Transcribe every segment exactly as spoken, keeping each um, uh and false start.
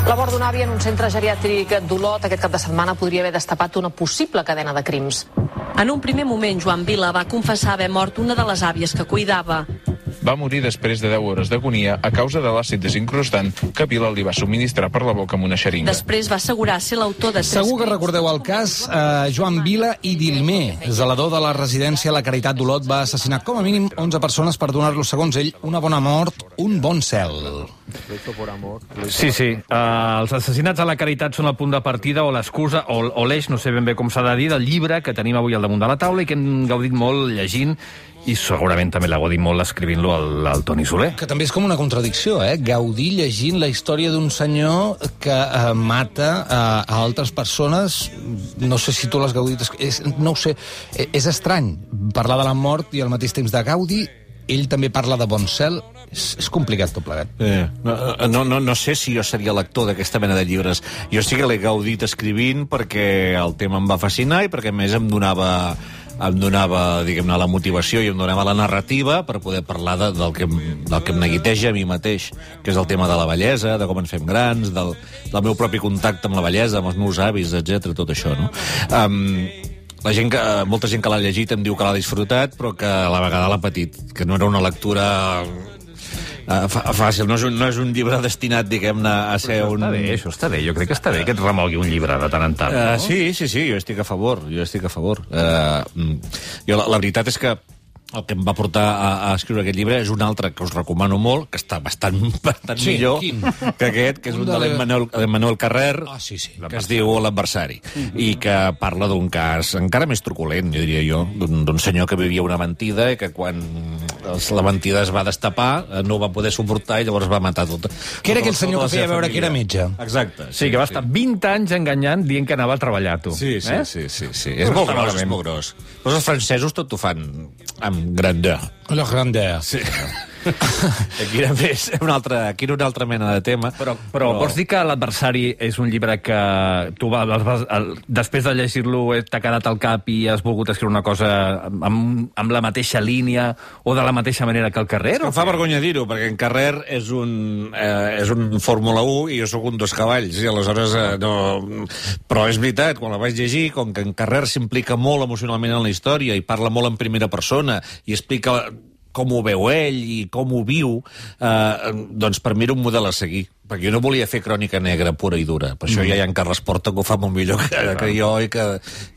La mort d'un avi en un centre geriàtric d'Olot aquest cap de setmana podria haver destapat una possible cadena de crims. En un primer moment, Joan Vila va confessar haver mort una de les àvies que cuidava. Va morir després de deu hores d'agonia a causa de l'àcid desincrustant que Vila li va subministrar per la boca amb una xeringa. Després va assegurar ser l'autor de tres... Segur que recordeu el cas. Eh, Joan Vila i Dilmé, zelador de la residència La Caritat d'Olot, va assassinar com a mínim onze persones per donar-los, segons ell, una bona mort, un bon cel. Sí, sí. Uh, els assassinats a La Caritat són el punt de partida o l'excusa, o, o l'eix, no sé ben bé com s'ha de dir, del llibre que tenim avui al damunt de la taula i que hem gaudit molt llegint, i segurament també l'ha gaudit molt escrivint-lo al, al Toni Soler. Que també és com una contradicció, eh? Gaudir llegint la història d'un senyor que eh, mata eh, a altres persones. No sé si tu l'has gaudit... És, no ho sé, és estrany parlar de la mort i al mateix temps de Gaudi. Ell també parla de bon cel. És, és complicat tot plegat. Eh, no, no, no sé si jo seria lector d'aquesta mena de llibres. Jo sí que l'he gaudit escrivint perquè el tema em va fascinar i perquè a més em donava... em donava, diguem-ne, la motivació i em donava la narrativa per poder parlar de, del, que, del que em neguiteja a mi mateix, que és el tema de la bellesa, de com ens fem grans, del, del meu propi contacte amb la bellesa, amb els meus avis, etcètera, tot això, no? Um, la gent que, molta gent que l'ha llegit em diu que l'ha disfrutat, però que a la vegada l'ha patit, que no era una lectura... Uh, fàcil, no és, un, no és un llibre destinat, diguem-ne, a ser això un... Està bé, això està bé, jo crec que està bé que et remogui un llibre de tant en tant, no? Uh, sí, sí, sí, jo estic a favor, jo estic a favor. Uh, jo, la, la veritat és que el que em va portar a, a escriure aquest llibre és un altre que us recomano molt, que està bastant, bastant sí, millor quin? que aquest, que és un, un de l'Emmanuel Carrer, ah, sí, sí. que es diu L'adversari, uh-huh. i que parla d'un cas encara més truculent, jo diria jo, d'un senyor que vivia una mentida i que quan la mentida es va destapar no ho va poder suportar i llavors va matar tot. Que era aquell senyor que feia veure que era metge. Exacte. Sí, que va estar vint anys enganyant dient que anava a treballar, tu. Sí, sí, eh? sí, sí, sí. És molt gros, és molt gros. Però els francesos tot ho fan amb grandeur. La grandeur. Sí. Aquí era més una altra, aquí era una altra mena de tema. Però, però, però... vols dir que L'adversari és un llibre que tu vas, vas, el, després de llegir-lo t'ha quedat al cap i has volgut escriure una cosa amb, amb la mateixa línia o de la mateixa manera que el Carrer? Em fa vergonya dir-ho, perquè en Carrer és un, eh, és un Fórmula u i jo sóc un dos cavalls, i aleshores eh, no... Però és veritat, quan la vaig llegir, com que en Carrer s'implica molt emocionalment en la història i parla molt en primera persona i explica com ho veu ell i com ho viu, eh, doncs per mi era un model a seguir. Perquè jo no volia fer crònica negra pura i dura. Per això mm. ja hi ha en Carles Porta que ho fa molt millor que, que jo i que,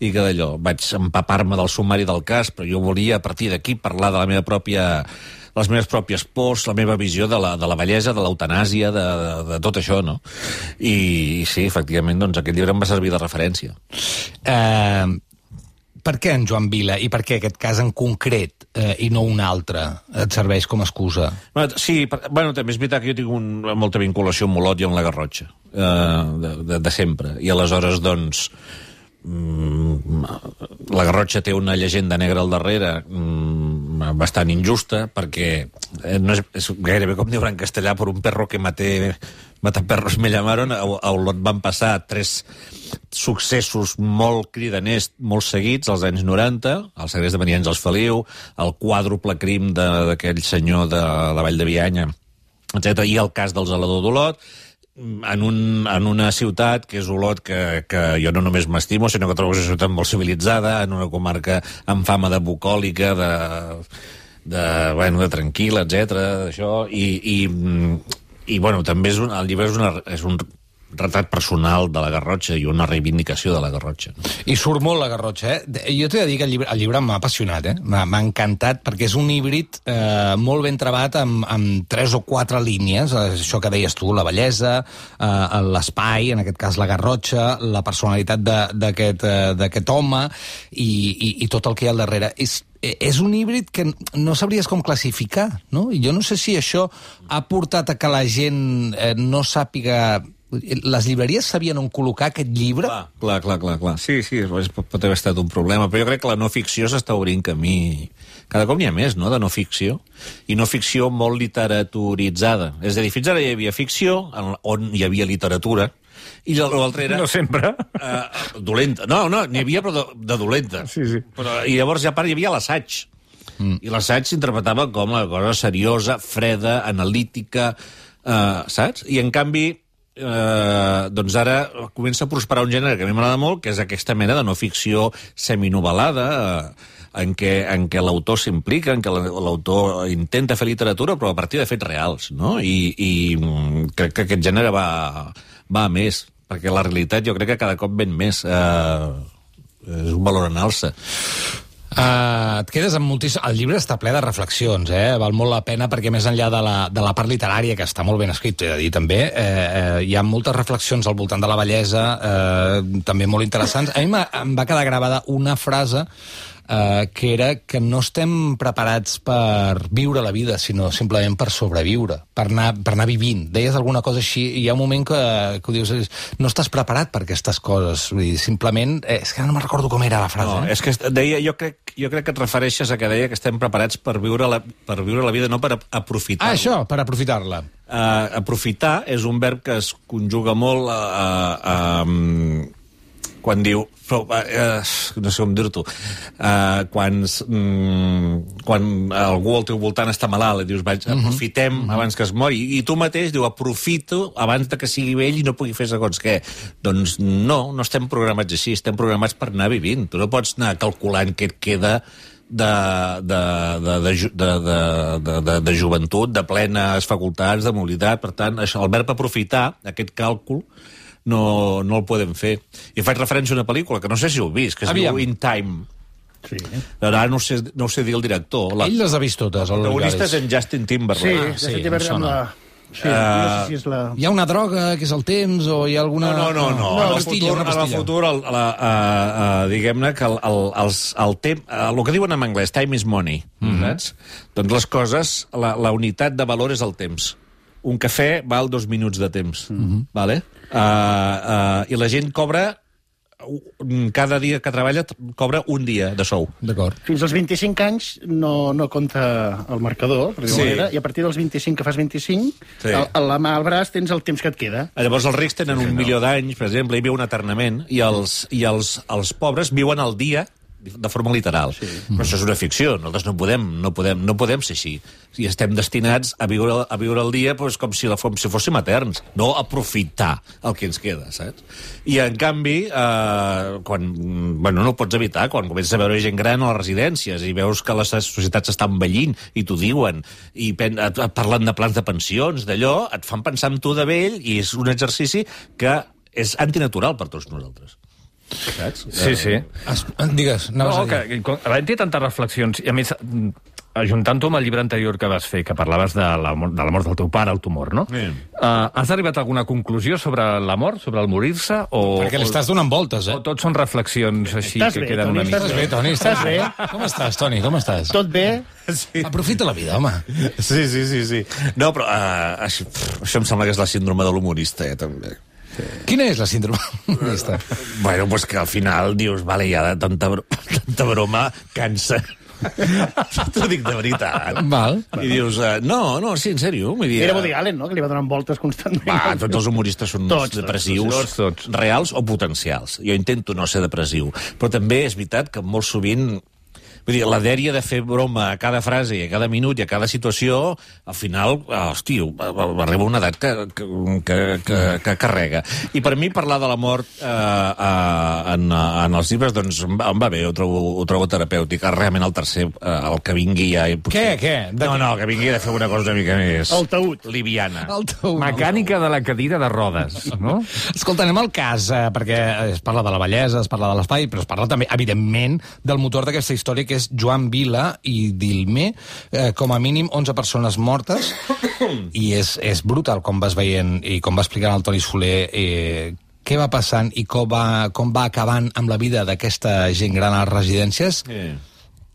i que d'allò. Vaig empapar-me del sumari del cas, però jo volia a partir d'aquí parlar de la meva pròpia... les meves pròpies pors, la meva visió de la, de la bellesa, de l'eutanàsia, de, de, de tot això, no? I, i sí, efectivament, doncs aquest llibre em va servir de referència. Eh... Uh... Per què en Joan Vila i per què aquest cas en concret eh, i no un altre et serveix com a excusa? Sí, per, bueno, també és veritat que jo tinc un, molta vinculació amb Olot i amb la Garrotxa, eh, de, de, de sempre. I aleshores, doncs, mm, la Garrotxa té una llegenda negra al darrere mm, bastant injusta, perquè no és, és gairebé com diuen en castellà, per un perro que maté... Mataperros me llamaron, a Olot van passar tres successos molt cridaners, molt seguits, als anys noranta, el segrest de Maria Àngels Feliu, el quàdruple crim d'aquell senyor de la Vall de Bianya, etcètera, i el cas del zelador d'Olot, en, un, en una ciutat que és Olot, que, que jo no només m'estimo, sinó que trobo una ciutat molt civilitzada, en una comarca amb fama de bucòlica, de, de, bueno, de tranquil·la, etcètera, d'això, i... i I, bueno, també és un, el llibre és, una, és un retrat personal de la Garrotxa i una reivindicació de la Garrotxa. I surt molt la Garrotxa, eh? Jo t'he de dir que el llibre, el llibre m'ha apassionat, eh? M'ha encantat, perquè és un híbrid eh, molt ben trebat amb, amb tres o quatre línies, això que deies tu, la bellesa, eh, l'espai, en aquest cas la Garrotxa, la personalitat d'aquest eh, home i, i, i tot el que hi ha al darrere. És és un híbrid que no sabries com classificar, no? I jo no sé si això ha portat a que la gent eh, no sàpiga... Les llibreries sabien on col·locar aquest llibre? Clar, clar, clar, clar, clar. Sí, sí, pot, pot haver estat un problema, però jo crec que la no ficció s'està obrint camí. Cada cop n'hi ha més, no?, de no ficció. I no ficció molt literaturitzada. És a dir, fins ara hi havia ficció, on hi havia literatura, i l'altre era... No sempre. Uh, dolenta. No, no, n'hi havia, però de, de dolenta. Sí, sí. Però, I llavors, ja a part, hi havia l'assaig. Mm. I l'assaig s'interpretava com una cosa seriosa, freda, analítica, uh, saps? I, en canvi, eh, doncs ara comença a prosperar un gènere que a mi m'agrada molt, que és aquesta mena de no ficció seminovel·lada, eh, en què, en què l'autor s'implica, en què l'autor intenta fer literatura, però a partir de fets reals, no? I, i crec que aquest gènere va, va a més, perquè la realitat jo crec que cada cop ven més. Eh, és un valor en alça. Uh, et quedes amb moltíssim... El llibre està ple de reflexions, eh? Val molt la pena perquè més enllà de la, de la part literària, que està molt ben escrit, t'he de dir també, eh, eh, hi ha moltes reflexions al voltant de la bellesa, eh, també molt interessants. A mi em va quedar gravada una frase Uh, que era que no estem preparats per viure la vida, sinó simplement per sobreviure, per anar, per anar vivint. Deies alguna cosa així, i hi ha un moment que, que ho dius, no estàs preparat per aquestes coses. Vull dir, simplement... Eh, és que no me'n recordo com era la frase. No, eh? és que deia, jo crec, jo crec que et refereixes a que deia que estem preparats per viure la, per viure la vida, no per aprofitar-la. Ah, això, per aprofitar-la. Uh, aprofitar és un verb que es conjuga molt a... a, a quan diu, però, uh, no sé com dir-t'ho, uh, quan, mm, quan algú al teu voltant està malalt i dius, vaig, aprofitem uh -huh. abans que es mori, i tu mateix diu, aprofito abans de que sigui vell i no pugui fer segons què. Doncs no, no estem programats així, estem programats per anar vivint. Tu no pots anar calculant què et queda de, de, de, de, de, de, de, de, de joventut, de plenes facultats, de mobilitat. Per tant, això, el verb aprofitar, aquest càlcul, no, no el podem fer. I faig referència a una pel·lícula que no sé si heu vist, que es Aviam. diu In Time. Sí. Ara no sé, no sé dir el director. La... Ell les ha vist totes. El protagonista és en Justin Sí, Timberlake. ah, sí, sí, em amb sona. la... Sí, Uh, no sé si és la... Hi ha una droga, que és el temps, o hi ha alguna... No, no, no. no. Una en el pastilla, futur, una en el pastilla. futur el, la, uh, uh, diguem-ne que el, el, els, el, tem, uh, el que diuen en anglès, time is money, mm-hmm. saps? Doncs les coses, la, la unitat de valor és el temps. Un cafè val dos minuts de temps, mm-hmm. vale? Uh, uh, I la gent cobra, cada dia que treballa, cobra un dia de sou. D'acord. Fins als vint-i-cinc anys no, no compta el marcador, per Sí. sí. manera, i a partir dels vint-i-cinc que fas vint-i-cinc, Sí. sí. a la mà al braç tens el temps que et queda. Llavors els rics tenen un milió d'anys, per exemple, i viuen eternament, i els, i els, els pobres viuen al dia de forma literal. Sí. Però això és una ficció, nosaltres no podem, no podem, no podem ser així. I estem destinats a viure, a viure el dia doncs, com, si la, com si fóssim eterns, no aprofitar el que ens queda, saps? I, en canvi, eh, quan, bueno, no ho pots evitar, quan comences a veure gent gran a les residències i veus que les societats estan envellint i t'ho diuen, i pen, et, et parlen de plans de pensions, d'allò, et fan pensar en tu de vell, i és un exercici que és antinatural per tots nosaltres. Saps? Sí, sí. Es, digues, anaves No, a dir. que, que havent dit tantes reflexions, i a més, ajuntant-ho amb el llibre anterior que vas fer, que parlaves de la, mort- de la mort del teu pare, el tumor, no? Sí. Uh, has arribat a alguna conclusió sobre la mort, sobre el morir-se? O, Perquè li estàs donant voltes, eh? o tots són reflexions així Estàs que bé, queden Toni, una mica... estàs Estàs bé, Toni? Estàs bé? Com estàs, Toni? Com estàs? Tot bé? Sí. Aprofita la vida, home. Sí, sí, sí, sí. No, però uh, això, pff, això em sembla que és la síndrome de l'humorista, eh, també. Quina és la síndrome comunista? Bueno, pues que al final dius, vale, ja de tanta, bro tanta broma cansa. T'ho dic de veritat. Val. I dius, uh, no, no, sí, en sèrio. Vull dir, Era Woody Allen, no?, que li va donant voltes constantment. Va, tots els humoristes són Tots, tots, depressius, tots, tots. reals o potencials. Jo intento no ser depressiu. Però també és veritat que molt sovint... Vull dir, la dèria de fer broma a cada frase i a cada minut i a cada situació, al final, hosti, arriba una edat que, que, que, que, que carrega. I per mi parlar de la mort eh, eh, en, en els llibres, doncs em va, em va bé, ho trobo, ho trobo terapèutic. Realment el tercer, eh, el que vingui ja... Què, què? De No, què? no, que vingui de fer una cosa una mica més... El taüt. Liviana. El teu... Mecànica de la cadira de rodes, no? Escolta, anem al cas, eh, perquè es parla de la bellesa, es parla de l'espai, però es parla també, evidentment, del motor d'aquesta història, que és Joan Vila i Dilmé, eh, com a mínim onze persones mortes, i és, és brutal com vas veient i com va explicant el Toni Soler eh, què va passant i com va, com va acabant amb la vida d'aquesta gent gran a les residències. Eh.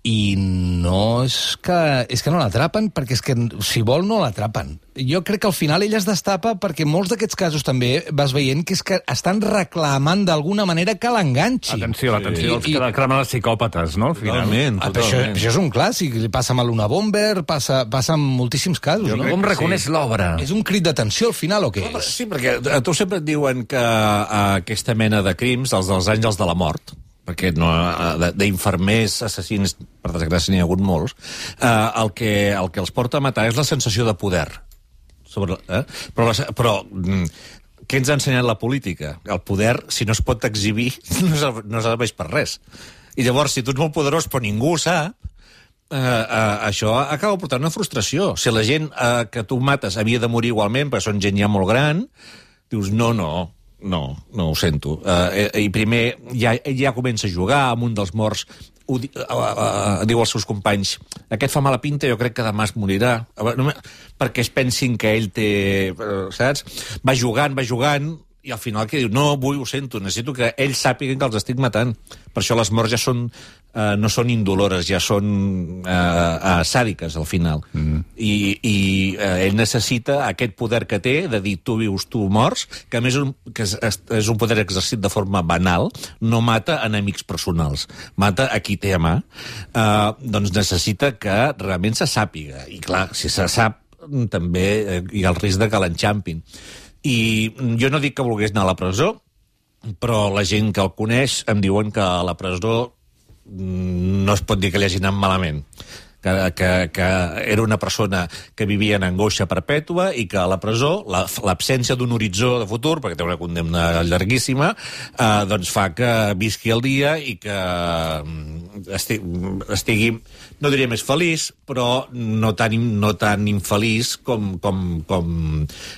I no és que... És que no l'atrapen, perquè és que, si vol, no l'atrapen. Jo crec que al final ell es destapa perquè molts d'aquests casos també vas veient que és que estan reclamant d'alguna manera que l'enganxi. Atenció, atenció, I- els i- que cremen els psicòpates, no? Al final. Totalment, Ah, però això, totalment. això és un clàssic, li passa amb l'Una Bomber, passa, passa en moltíssims casos, Jo no? crec Com que reconeix sí. l'obra? És un crit d'atenció al final, o què és? Sí, perquè a tu sempre et diuen que uh, aquesta mena de crims, els dels àngels de la mort, perquè no, uh, d'infermers, assassins, per desgràcia n'hi ha hagut molts, uh, el, que, el que els porta a matar és la sensació de poder. Sobre, eh? Però, la, però mm, què ens ha ensenyat la política? El poder, si no es pot exhibir, no serveix, no serveix per res. I llavors, si tu ets molt poderós però ningú ho sap, eh, eh, això acaba portant una frustració. Si la gent eh, que tu mates havia de morir igualment, perquè són gent ja molt gran, dius, no, no, no, no ho sento. Eh, I primer ja, ja comença a jugar amb un dels morts, ho di, uh, uh, diu als seus companys, aquest fa mala pinta, jo crec que demà es morirà, perquè es pensin que ell té, uh, saps? Va jugant, va jugant, i al final que diu, no, vull, ho sento, necessito que ells sàpiguen que els estic matant. Per això les morts ja són, uh, no són indolores, ja són uh, uh, sàdiques, al final. Mm. I, i uh, ell necessita aquest poder que té de dir tu vius, tu mors, que a més un, que és, és un poder exercit de forma banal, no mata enemics personals, mata a qui té a mà. Uh, doncs necessita que realment se sàpiga. I clar, si se sap, també uh, hi ha el risc de que l'enxampin. I jo no dic que volgués anar a la presó, però la gent que el coneix em diuen que a la presó no es pot dir que li hagi anat malament. Que, que, que era una persona que vivia en angoixa perpètua i que a la presó l'absència d'un horitzó de futur, perquè té una condemna llarguíssima, eh, doncs fa que visqui el dia i que estigui, estigui no diria més feliç, però no tan, no tan infeliç com, com, com,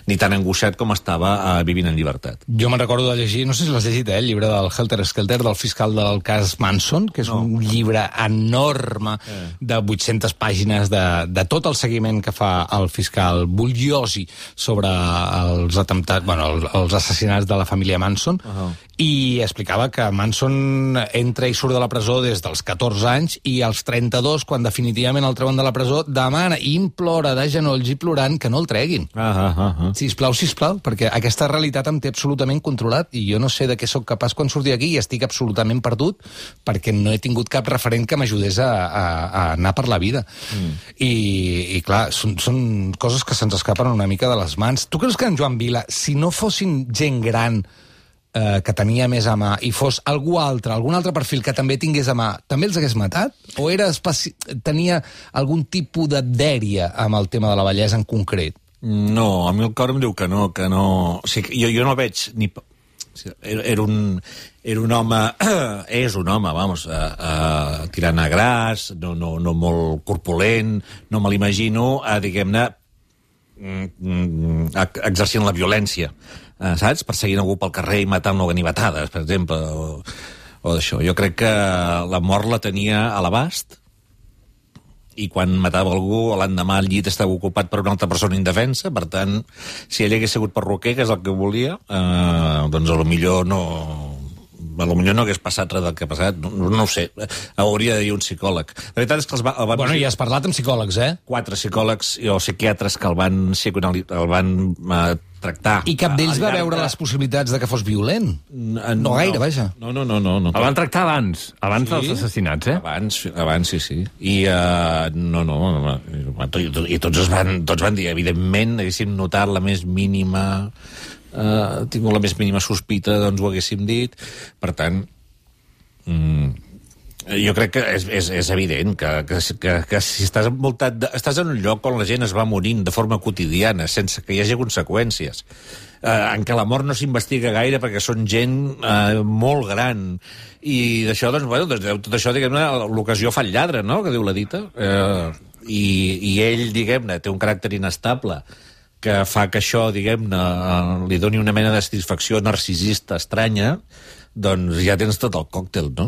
ni tan angoixat com estava eh, vivint en llibertat. Jo me'n recordo de llegir, no sé si l'has llegit, eh, el llibre del Helter Skelter, del fiscal del cas Manson, que és no. un llibre enorme eh. de vuit-centes pàgines de, de tot el seguiment que fa el fiscal Bugliosi sobre els atemptats, bueno, els, els assassinats de la família Manson, uh-huh. i explicava que Manson entra i surt de la presó des dels catorze anys i als trenta-dos, quan definitivament el treuen de la presó, demana i implora de genolls i plorant que no el treguin. Uh-huh, uh-huh. Sisplau, sisplau, perquè aquesta realitat em té absolutament controlat i jo no sé de què sóc capaç quan surti d'aquí i estic absolutament perdut perquè no he tingut cap referent que m'ajudés a, a, a anar per la vida. Mm. I, i clar, són, són coses que se'ns escapen una mica de les mans. Tu creus que en Joan Vila, si no fossin gent gran eh, que tenia més a mà i fos algú altre, algun altre perfil que també tingués a mà, també els hagués matat? O era especi... tenia algun tipus de dèria amb el tema de la bellesa en concret? No, a mi el cor em diu que no, que no... O sigui, jo, jo no veig ni... Era, era, un, era un home, és un home, vamos, uh, uh, tirant a gras, no, no, no molt corpulent, no me l'imagino, uh, diguem-ne, mm, exercint la violència, uh, saps? Perseguint algú pel carrer i matant-lo a ganivetades, per exemple, o, o d'això. Jo crec que la mort la tenia a l'abast, i quan matava algú, l'endemà el llit estava ocupat per una altra persona indefensa, per tant, si ell hagués sigut perruquer, que és el que volia, eh, doncs a lo millor no... a lo millor no hagués passat res del que ha passat, no, no ho sé, hauria de dir un psicòleg. La veritat és que els va, el van... Bueno, i has parlat amb psicòlegs, eh? Quatre psicòlegs o psiquiatres que el van, el van eh, tractar. I cap d'ells va veure les possibilitats de que fos violent? No, no gaire, vaja. No, no, no. no, no el van tractar abans, abans sí? dels assassinats, eh? Abans, abans sí, sí. I, uh, no, no, no, i, i tots, es van, tots van dir, evidentment, haguéssim notat la més mínima... Uh, tingut la més mínima sospita, doncs ho haguéssim dit. Per tant, mm, jo crec que és, és, és evident que, que, que, que si estàs envoltat de, estàs en un lloc on la gent es va morint de forma quotidiana, sense que hi hagi conseqüències, uh, en què la mort no s'investiga gaire perquè són gent uh, molt gran, i d'això, doncs, bueno, tot això, diguem-ne, l'ocasió fa el lladre, no?, que diu la dita, uh, i, i ell, diguem-ne, té un caràcter inestable, que fa que això, diguem-ne, li doni una mena de satisfacció narcisista estranya, doncs ja tens tot el còctel, no?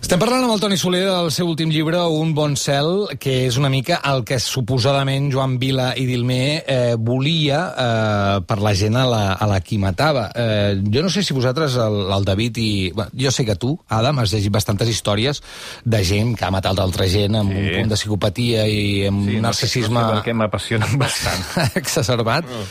Estem parlant amb el Toni Soler del seu últim llibre, Un bon cel, que és una mica el que suposadament Joan Vila i Dilmé eh, volia eh, per la gent a la, a la qui matava. Eh, jo no sé si vosaltres, el, el David i... Bueno, jo sé que tu, Adam, has llegit bastantes històries de gent que ha matat altra gent amb sí. un punt de psicopatia i amb sí, un narcisisme... Sí, no sé perquè m'apassionen bastant. exacerbat, oh.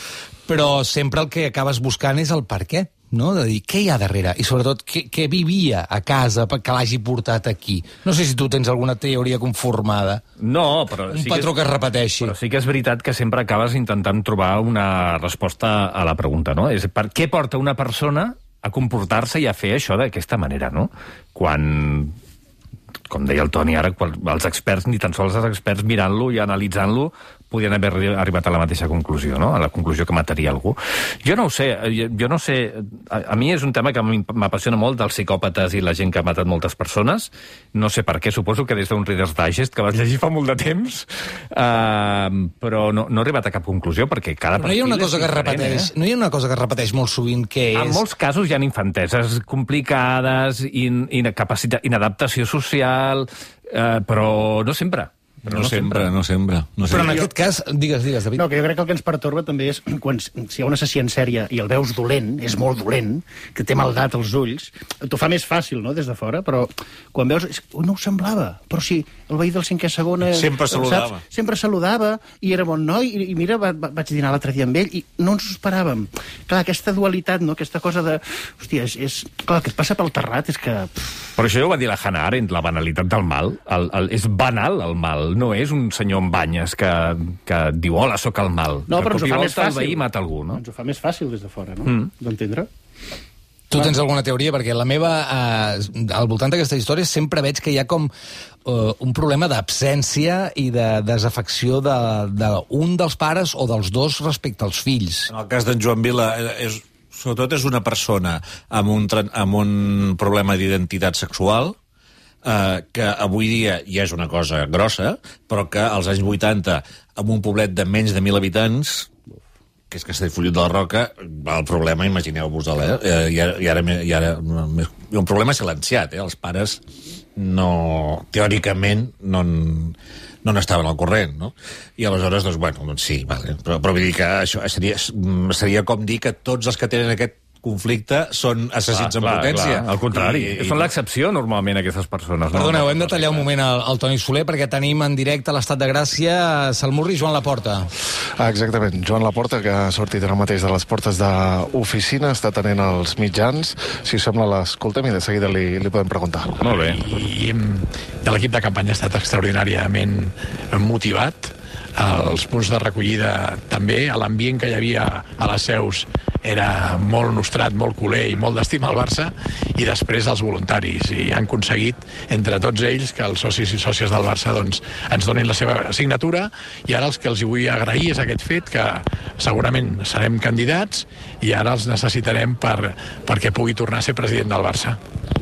però sempre el que acabes buscant és el per què. No? De dir, què hi ha darrere? I sobretot, què, què vivia a casa que l'hagi portat aquí? No sé si tu tens alguna teoria conformada. No, però... Un sí patró que, és, que es repeteixi. Però sí que és veritat que sempre acabes intentant trobar una resposta a la pregunta, no? És per què porta una persona a comportar-se i a fer això d'aquesta manera, no? Quan... com deia el Toni ara, els experts, ni tan sols els experts mirant-lo i analitzant-lo, podien haver arribat a la mateixa conclusió, no? A la conclusió que mataria algú. Jo no ho sé, jo no sé... A, a mi és un tema que m'apassiona molt dels psicòpates i la gent que ha matat moltes persones. No sé per què, suposo que des d'un Reader's Digest, que vas llegir fa molt de temps, uh, però no, no he arribat a cap conclusió, perquè cada però no hi ha una cosa que es repeteix, eh? No hi ha una cosa que es repeteix molt sovint, que és... En molts casos hi ha infanteses complicades, in, incapacitat, inadaptació social, uh, però no sempre. Però no, no sempre, sempre, no sempre. No però en aquest cas, digues, digues, David. No, que jo crec que el que ens pertorba també és quan si hi ha un assassí en sèrie i el veus dolent, és molt dolent, que té maldat als ulls, t'ho fa més fàcil, no?, des de fora, però quan veus... No ho semblava, però sí, el veí del cinquè segon... Sempre saludava. Saps? Sempre saludava, i era bon noi, i, i mira, va, va, vaig dinar l'altre dia amb ell, i no ens ho esperàvem. Clar, aquesta dualitat, no?, aquesta cosa de... Hòstia, és... és clar, que et passa pel terrat és que... Però això ja ho va dir la Hannah Arendt, la banalitat del mal. El, el, és banal, el mal. No és un senyor amb banyes que, que diu, hola, sóc el mal. No, però ens ho fa més fàcil. El veí mata algú, no? Ens ho fa més fàcil des de fora, no? Mm. D'entendre? Tu tens alguna teoria? Perquè la meva, eh, al voltant d'aquesta història, sempre veig que hi ha com eh, un problema d'absència i de desafecció d'un de, de dels pares o dels dos respecte als fills. En el cas d'en Joan Vila, és, sobretot és una persona amb un, amb un problema d'identitat sexual, Uh, que avui dia ja és una cosa grossa, però que als anys vuitanta, amb un poblet de menys de mil habitants, que és Castellfollit de la Roca, el problema, imagineu-vos-el, eh? I ara, i ara, i ara un problema silenciat, eh? Els pares no, teòricament, no, no n'estaven al corrent, no? I aleshores, doncs, bueno, doncs sí, vale. Però, però vull dir que això seria, seria com dir que tots els que tenen aquest conflicte són assassins en potència. Al contrari, I, i... són l'excepció normalment aquestes persones. No? Perdoneu, hem de tallar un moment al, al Toni Soler perquè tenim en directe a l'Estat de Gràcia Salmurri i Joan Laporta. Ah, exactament, Joan Laporta, que ha sortit ara mateix de les portes d'oficina, està tenint els mitjans. Si us sembla, l'escoltem i de seguida li, li podem preguntar. Molt bé. I de l'equip de campanya ha estat extraordinàriament motivat. Els punts de recollida també, l'ambient que hi havia a les seus era molt nostrat, molt culer i molt d'estima al Barça, i després els voluntaris, i han aconseguit entre tots ells que els socis i sòcies del Barça doncs, ens donin la seva signatura, i ara els que els hi vull agrair és aquest fet que segurament serem candidats i ara els necessitarem per, perquè pugui tornar a ser president del Barça.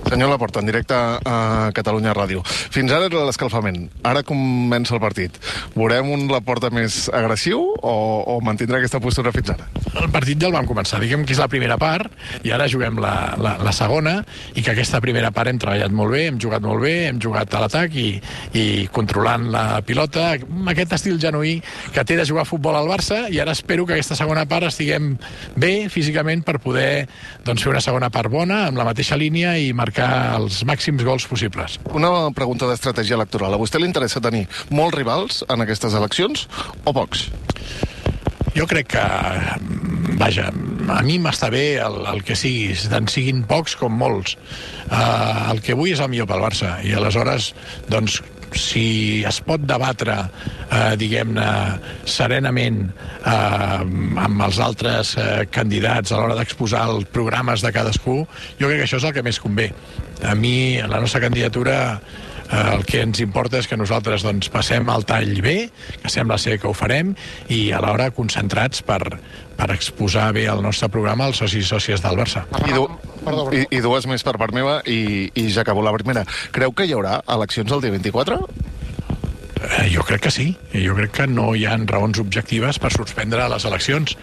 Senyor Laporta, en directe a Catalunya Ràdio. Fins ara era l'escalfament. Ara comença el partit. Veurem un Laporta més agressiu o, o mantindrà aquesta postura fins ara? El partit ja el vam començar. Diguem que és la primera part i ara juguem la, la, la segona, i que aquesta primera part hem treballat molt bé, hem jugat molt bé, hem jugat a l'atac i, i controlant la pilota, aquest estil genuí que té de jugar a futbol al Barça, i ara espero que aquesta segona part estiguem bé físicament per poder doncs, fer una segona part bona, amb la mateixa línia i marcar els màxims gols possibles. Una pregunta d'estratègia electoral. A vostè li interessa tenir molts rivals en aquestes eleccions o pocs? Jo crec que, vaja, a mi m'està bé el, el que siguis, tant siguin pocs com molts. Uh, el que vull és el millor pel Barça, i aleshores, doncs, si es pot debatre, eh, diguem-ne, serenament eh, amb els altres eh, candidats a l'hora d'exposar els programes de cadascú, jo crec que això és el que més convé. A mi, la nostra candidatura, eh, el que ens importa és que nosaltres doncs, passem el tall bé, que sembla ser que ho farem, i alhora concentrats per, per exposar bé el nostre programa als socis i sòcies del Barça. I, du i, i dues més per part meva, i, i ja acabo la primera. Creu que hi haurà eleccions el dia vint-i-quatre? Eh, jo crec que sí. Jo crec que no hi ha raons objectives per suspendre les eleccions.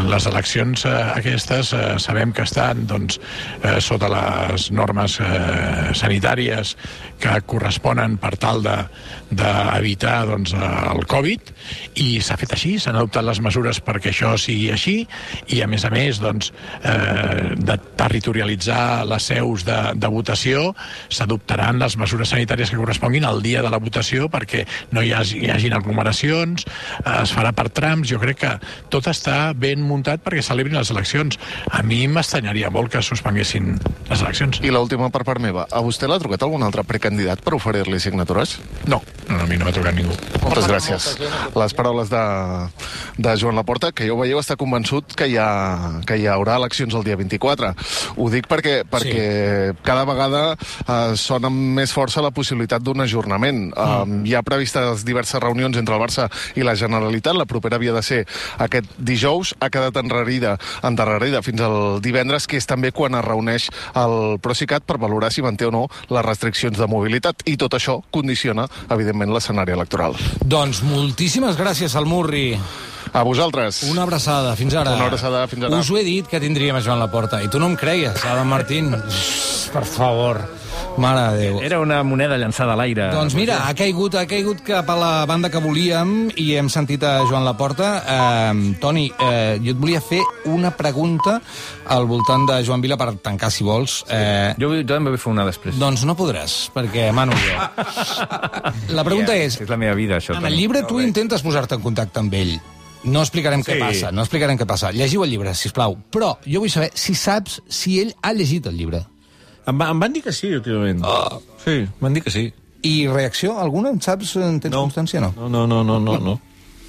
Les eleccions eh, aquestes eh, sabem que estan doncs, eh, sota les normes eh, sanitàries que corresponen per tal d'evitar de, doncs, el Covid, i s'ha fet així, s'han adoptat les mesures perquè això sigui així, i a més a més doncs, eh, de territorialitzar les seus de, de votació, s'adoptaran les mesures sanitàries que corresponguin al dia de la votació perquè no hi hagi, hi hagin aglomeracions, eh, es farà per trams. Jo crec que tot està ben ben muntat perquè celebrin les eleccions. A mi m'estranyaria molt que suspenguessin les eleccions. I l'última per part meva. A vostè l'ha trucat algun altre precandidat per oferir-li signatures? No, no, a mi no m'ha trucat ningú. Moltes gràcies. Les paraules de, de Joan Laporta, que ja ho veieu, està convençut que hi, ha, que hi haurà eleccions el dia vint-i-quatre. Ho dic perquè, perquè sí. cada vegada eh, sona amb més força la possibilitat d'un ajornament. Mm. Eh, hi ha previstes diverses reunions entre el Barça i la Generalitat. La propera havia de ser aquest dijous, ha quedat enrarida, endarrerida fins al divendres, que és també quan es reuneix el Procicat per valorar si manté o no les restriccions de mobilitat. I tot això condiciona, evidentment, l'escenari electoral. Doncs moltíssimes gràcies, Salmurri. A vosaltres. Una abraçada, fins ara. Una abraçada, fins ara. Us ho he dit que tindríem a Joan Laporta, i tu no em creies, Adam Martín. Per favor. Mare de Déu. Era una moneda llançada a l'aire. Doncs mira, ha caigut, ha caigut cap a la banda que volíem i hem sentit a Joan Laporta. Eh, Toni, eh, jo et volia fer una pregunta al voltant de Joan Vila per tancar, si vols. Eh, jo també vull fer una després. Doncs no podràs, perquè mano jo. La pregunta yeah, és... És la meva vida, això. En el llibre tu intentes posar-te en contacte amb ell. No explicarem sí. què passa, no explicarem què passa. Llegiu el llibre, sisplau. Però jo vull saber si saps si ell ha llegit el llibre. Em, va, em van dir que sí, últimament. Oh. Sí, m'han dit que sí. I reacció alguna? En saps? En tens no. constància, no? No, no, no, no, no. no.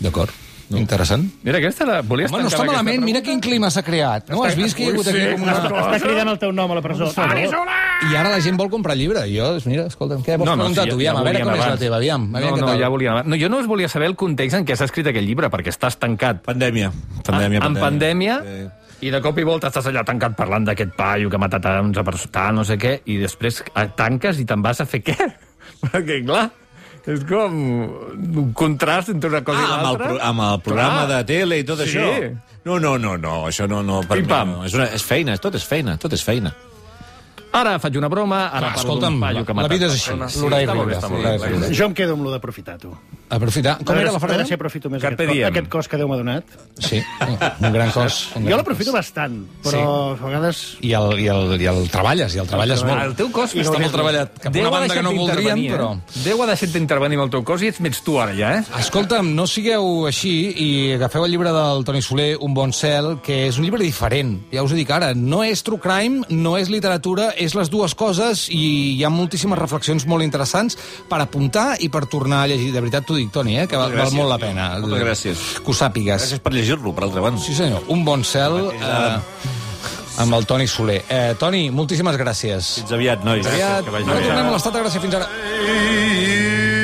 D'acord. No. Interessant. Mira, aquesta la volies Home, no està malament, mira quin clima s'ha creat. No has vist que hi ha hagut aquí com una... Està cridant el teu nom a la presó. I ara la gent vol comprar el llibre. Jo, mira, escolta'm, què vols no, no, preguntar si tu? Ja, ja a veure com és la teva, aviam. aviam no, no, ja volia... No, jo no us volia saber el context en què s'ha escrit aquell llibre, perquè estàs tancat. Pandèmia. Pandèmia, ah, en pandèmia, sí. I de cop i volta estàs allà tancat parlant d'aquest paio que ha matat a onze persones, no sé què, i després tanques i te'n vas a fer què? Perquè, clar... És com un contrast entre una cosa ah, i l'altra. Amb, amb el programa Clar. de tele i tot sí. això. No, no, no, no, això no... no, per no. És, una, és feina, tot és feina, tot és feina. Ara faig una broma, ara ah, parlo d'un paio que ha matat. La vida és així. Sí, sí, jo em quedo amb lo d'aprofitar, tu. Aprofitar? Com era la frase? Si aprofito més aquest, aquest cos que Déu m'ha donat. Sí, un gran cos. Un gran jo l'aprofito bastant, però sí. a vegades... I el, i, el, I el treballes, i el treballes molt. El teu cos està molt treballat. Cap una banda que no voldríem, però... Déu ha deixat d'intervenir amb el teu cos i ets més tu ara, ja, eh? Escolta'm, no sigueu així i agafeu el llibre del Toni Soler, Un bon cel, que és un llibre diferent. Ja us ho dic ara, no és true crime, no és literatura, és les dues coses i hi ha moltíssimes reflexions molt interessants per apuntar i per tornar a llegir. De veritat t'ho dic, Toni, eh, que val, val molt la pena. Moltes gràcies. Que ho sàpigues. Gràcies per llegir-lo, per altra banda. Sí, senyor. Un bon cel eh, amb el Toni Soler. Eh, Toni, moltíssimes gràcies. Fins aviat, nois. Fins aviat. Ara tornem a l'Estat de Gràcia. Fins ara.